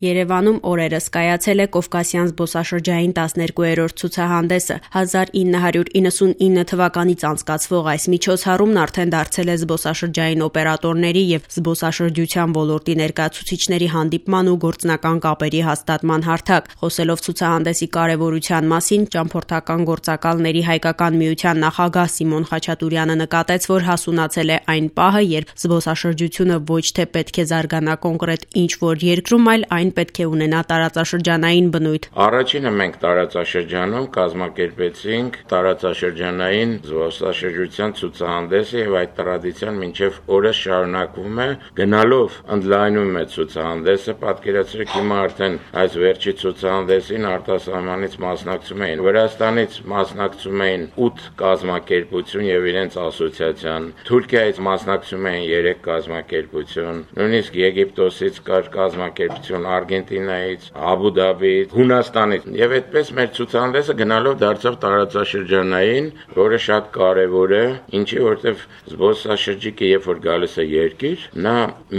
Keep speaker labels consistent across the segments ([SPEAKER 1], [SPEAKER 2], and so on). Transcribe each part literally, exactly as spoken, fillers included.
[SPEAKER 1] Երևանում օրերս կայացել է Կովկասյան զբոսաշրջային տասներկուերորդ ցուցահանդեսը։ հազար ինը հարյուր իննսունինը թվականից անցկացվող այս միջոցառումն արդեն դարձել է զբոսաշրջային օպերատորների եւ զբոսաշրջության ոլորտի ներկայացուցիչների հանդիպման ու գործնական կապերի հաստատման հարթակ։ Խոսելով ցուցահանդեսի կարեւորության մասին, ճամփորդական գործակալների հայկական միության նախագահ Սիմոն Խաչատուրյանը նկատեց, որ հասունացել է այն պահը, երբ զբոսաշրջությունը ոչ թե պետք է զարգանա կոնկրետ ինչ-որ երկրում, այլ այն պետք է ունենա տարածաշրջանային բնույթ։
[SPEAKER 2] Առաջինը մենք տարածաշրջանում կազմակերպեցինք տարածաշրջանային զբոսաշրջության ցուցահանդեսը եւ այդ տրադիցիան մինչեւ օրս շարունակվում է, գնալով ընդլայնում է ցուցահանդեսը, պատկերացրեք հիմա արդեն այս վերջի ցուցահանդեսին արտասահմանից մասնակցում էին Վրաստանից մասնակցում էին ութ կազմակերպություն եւ իրենց ասոցիացիան, Թուրքիայից մասնակցում էին երեք կազմակերպություն, նույնիսկ Եգիպտոսից կար կազմակերպություն, Արգենտինայից, Աբու Դաբիից, Հունաստանից եւ այդպես մեր ցուցահանդեսը գնալով դարձավ տարածաշրջանային, որը շատ կարեւոր է, ինչի որտեւ զբոսաշրջիկը երբ որ գալիս է երկիր, նա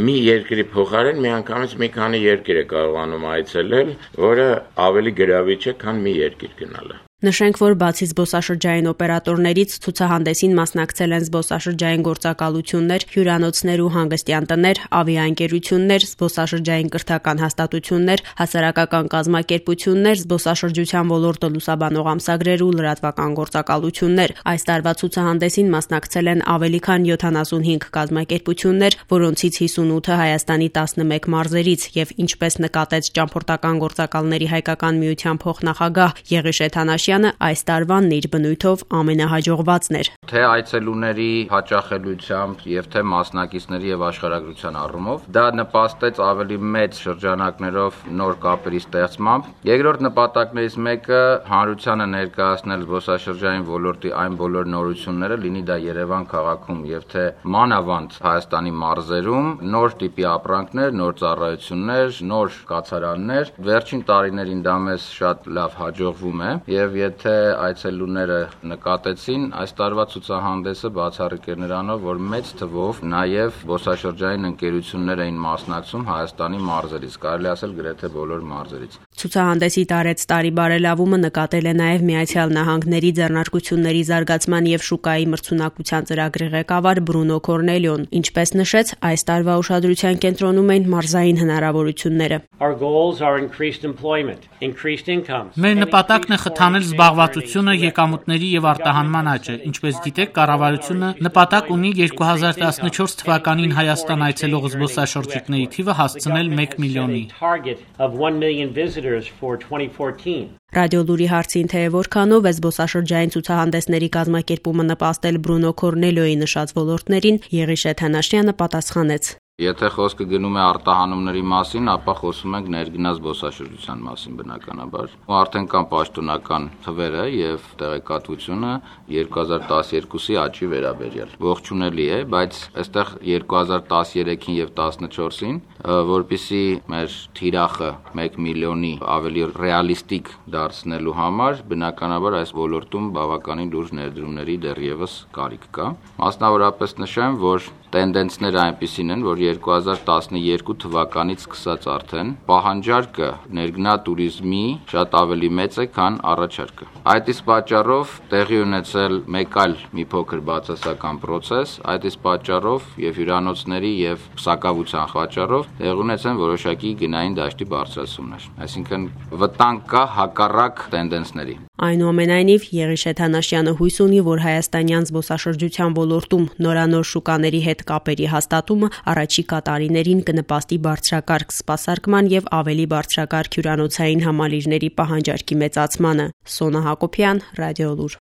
[SPEAKER 2] մի երկրի փոխարեն միանգամից մի քանի երկիր է կարողանում այցելել, որը ավելի գրավիչ է, քան մի երկիր գնալը։
[SPEAKER 1] Նշենք, որ բացի զբոսաշրջային օպերատորներից ցուցահանդեսին մասնակցել են զբոսաշրջային գործակալություններ, հյուրանոցներ ու հանգստյան տներ, ավիաընկերություններ, զբոսաշրջային կրթական հաստատություններ, հասարակական կազմակերպություններ, զբոսաշրջության ոլորտը լուսաբանող ամսագրեր ու լրատվական գործակալություններ։ Այս տարվա ցուցահանդեսին մասնակցել են ավելի քան յոթանասունհինգ կազմակերպություններ, որոնցից հիսունութը Հայաստանի տասնմեկ մարզերից եւ ինչպես նկատեց ճամփորդական գործակալների հայկական միության փոխնախագահ Եղիշե Թանաշյանը, այս տարվանն իր բնույթով ամենահաջողվածն էր։
[SPEAKER 3] Թե այցելուների հաճախելիությամբ եւ թե մասնակիցների եւ աշխարհագրության առումով դա նպաստեց ավելի մեծ շրջանակներով նոր կապերի ստեղծմամբ։ Երկրորդ նպատակներից մեկը հանրությանը ներկայացնել զբոսաշրջային ոլորտի այն բոլոր նորությունները, լինի դա Երևան քաղաքում եւ թե մանավանդ Հայաստանի մարզերում, նոր տիպի ապրանքներ, նոր ծառայություններ, նոր կացարաններ։ Վերջին տարիներին դա մեզ շատ լավ հաջողվում է եւ եթե այցելուները նկատեցին, այս տարվա ցուցահանդեսը բացառիկ էր նրանով, որ մեծ թվով նաեւ զբոսաշրջային ընկերություններ էին մասնակցում Հայաստանի մարզերից, կարելի ասել գրեթե բոլոր մարզերից։
[SPEAKER 1] Ցուցահանդեսի տարեց տարի բարելավումը նկատել է նաեւ Միացյալ Նահանգների ձեռնարկությունների զարգացման եւ շուկայի մրցունակության ծրագրի ղեկավար Բրունո Կորնելիոն, ինչպես նշեց, այս տարվա ուշադրության կենտրոնում էին մարզային հնարավորությունները։
[SPEAKER 4] Մեր նպատակն է խթանել զբաղվածությունը, եկամուտների եւ արտահանման աճը։ Ինչպես գիտեք, կառավարությունը նպատակ ունի երկու հազար տասնչորս թվականին Հայաստան այցելող զբոսաշրջիկների թիվը հասցնել մեկ միլիոնի։
[SPEAKER 1] Ռադիոլուրի հարցին, թե որքանով է զբոսաշրջային ցուցահանդեսների կազմակերպումը նպաստել Բրունո Կորնելիոյի նշած ոլորտներին, Եղիշե Թանաշյանը պատասխանեց.
[SPEAKER 3] Եթե խոսքը գնում է արտահանումների մասին, ապա խոսում ենք ներգնաց զբոսաշրջության մասին բնականաբար։ Ու արդեն կան պաշտոնական թվերը եւ տեղեկատվությունը երկու հազար տասներկուսի աճի վերաբերյալ։ Ողջունելի է, բայց այստեղ երկու հազար տասներեքին եւ տասնչորսին, որպիսի մեր թիրախը մեկ միլիոնի ավելի ռեալիստիկ դարձնելու համար, բնականաբար այս ոլորտում բավականին լուրջ ներդրումների դեռևս կարիք կա։ Մասնավորապես նշեմ, որ տենդենսները այնպիսին են, որ երկու հազար տասներկու թվականից սկսած արդեն պահանջարկը ներգնա տուրիզմի շատ ավելի մեծ է, քան առաջարկը։ Այդ իսկ պատճառով տեղի ունեցել մեկ այլ մի փոքր բացասական process, այդ իսկ պատճառով եւ հյուրանոցների եւ սակավության պատճառով տեղի ունեցան որոշակի գնային դաշտի բարձրացումներ։ Այսինքն վտանգ կա հակառակ տենդենսների։
[SPEAKER 1] Այնուամենայնիվ Եղիշե Թանաշյանը հույս ունի, որ հայաստանյան զբոսաշրջության ոլորտում նորանոր շուկաների հետ կապերի հաստատումը առաջիկա տարիներին կնպաստի բարձրակարգ սպասարկման եւ ավելի բարձրակարգ հյուրանոցային համալիրների պահանջարկի մեծացմանը։ Սոնա Հակոբյան, Ռադիոլուր։